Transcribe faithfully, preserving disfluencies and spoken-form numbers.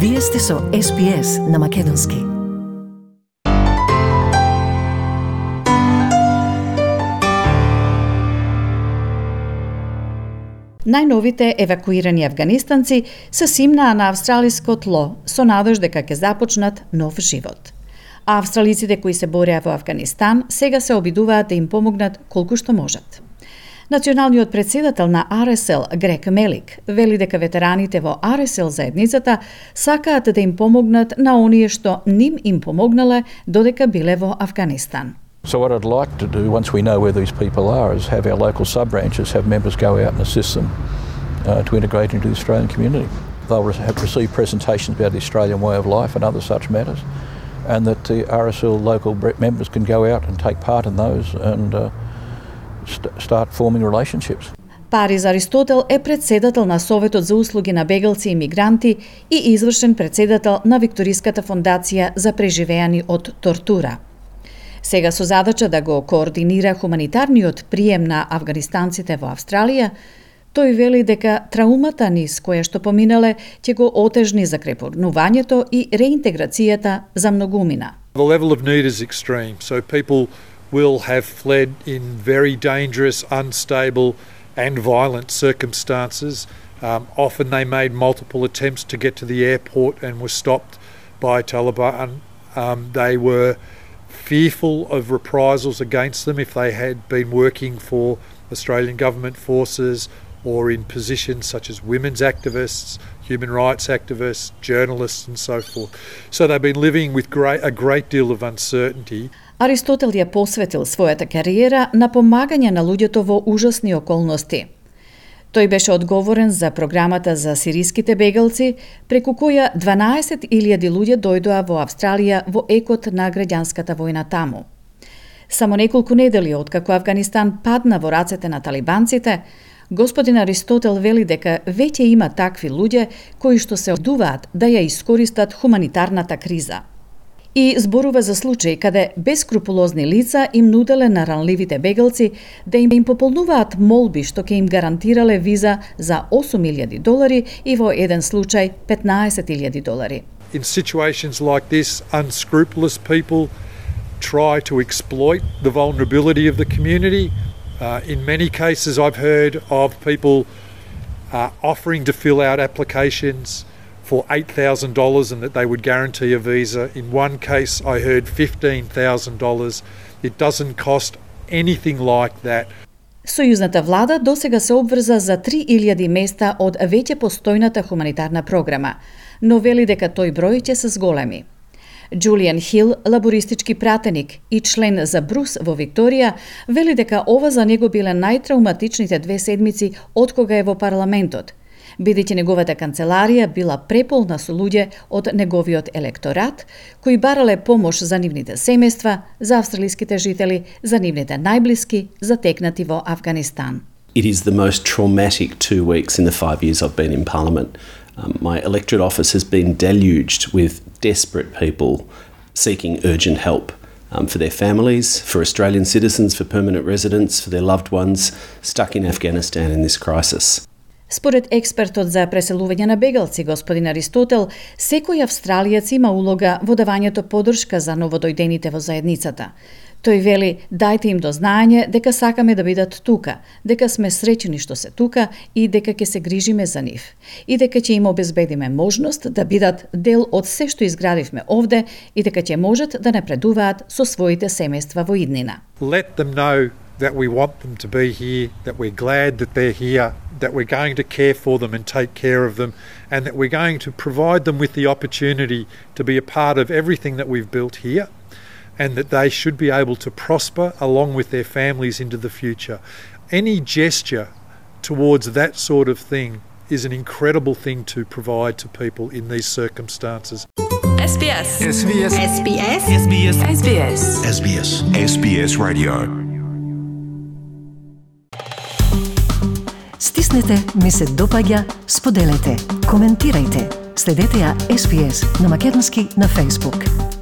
Вие сте со Ес Би Ес на Македонски. Најновите евакуирани афганистанци се симнаа на австралиско тло со надеж дека ќе започнат нов живот. А австралиците кои се бореа во Афганистан сега се обидуваат да им помогнат колку што можат. Националниот председател на Ар Ес Ел, Грег Мелик, вели дека ветераните во Ар Ес Ел заедницата сакаат да им помогнат на оние што ним им помогнале додека биле во Афганистан. So what I'd like to do, once we know where these people are, is have our local sub-branches have members go out and assist them uh, to integrate into the Australian community. They'll have received presentations about the Australian way of life and other such matters, and that the Ар Ес Ел local members can go out and take part in those and uh, st- start forming relationships. Парис Аристотел е председател на Советот за услуги на бегалци и мигранти и извршен председател на Викториската фондација за преживеани од тортура. Сега со задача да го координира хуманитарниот прием на афганистанците во Австралија, тој вели дека траумата низ која што поминале ќе го отежни закрепнувањето и реинтеграцијата за многумина. The level of need is extreme, so people will have fled in very dangerous, unstable and violent circumstances. Um, often they made multiple attempts to get to the airport and were stopped by Taliban. Um, they were fearful of reprisals against them if they had been working for Australian government forces or in positions such as women's activists, human rights activists, journalists and so forth. So they've been living with great, a great deal of uncertainty. Аристотел ја посветил својата кариера на помагање на луѓето во ужасни околности. Тој беше одговорен за програмата за сириските бегалци, преку која дванаесет илјади луѓе дојдоа во Австралија во екот на граѓанската војна таму. Само неколку недели откако Афганистан падна во рацете на талибанците, господин Аристотел вели дека веќе има такви луѓе кои што се одуваат да ја искористат хуманитарната криза. И зборува за случаи каде бескрупулозни лица им нуделе на ранливите бегалци да им им пополнуваат молби што ќе им гарантирале виза за осум илјади долари и во еден случај петнаесет илјади долари. In situations like this, unscrupulous people try to exploit the vulnerability of the community. Uh, in many cases I've heard of people uh, offering to fill out applications for eight thousand dollars and that they would guarantee a visa. In one case I heard fifteen thousand dollars. It doesn't cost anything like that. Сојузната влада досега се обврза за три илјади места од веќе постојната хуманитарна програма, но вели дека тој број ќе се зголеми. Джулијан Хил, лабористички пратеник и член за Брус во Викторија, вели дека ова за него биле најтрауматичните две седмици откога е во парламентот, бидејќи неговата канцеларија била преполна со луѓе од неговиот електорат, кои барале помош за нивните семејства, за австралиските жители, за нивните најблиски, затекнати во Афганистан. It is the most traumatic two weeks in the five years I've been in Parliament. Um, my electorate office has been deluged with desperate people seeking urgent help um, for their families, for Australian citizens, for permanent residents, for their loved ones stuck in Afghanistan in this crisis. Според експертот за преселување на бегалци, господин Аристотел, секој австралиец има улога во давањето поддршка за новодојдените во заедницата. Тој вели, дајте им до знаење дека сакаме да бидат тука, дека сме среќни што се тука и дека ќе се грижиме за нив. И дека ќе им обезбедиме можност да бидат дел од се што изградивме овде и дека ќе можат да напредуваат со своите семејства во иднина. Let them know that we want them to be here, that we're glad that they're here, that we're going to care for them and take care of them, and that we're going to provide them with the opportunity to be a part of everything that we've built here, and that they should be able to prosper along with their families into the future. Any gesture towards that sort of thing is an incredible thing to provide to people in these circumstances. Ес Би Ес. Ес Би Ес. Ес Би Ес. Ес Би Ес. Ес Би Ес. Ес Би Ес. Ес Би Ес Radio. Стиснете, ми се допаѓа, споделете, коментирајте. Следете ја Ес Би Ес на Македонски на Facebook.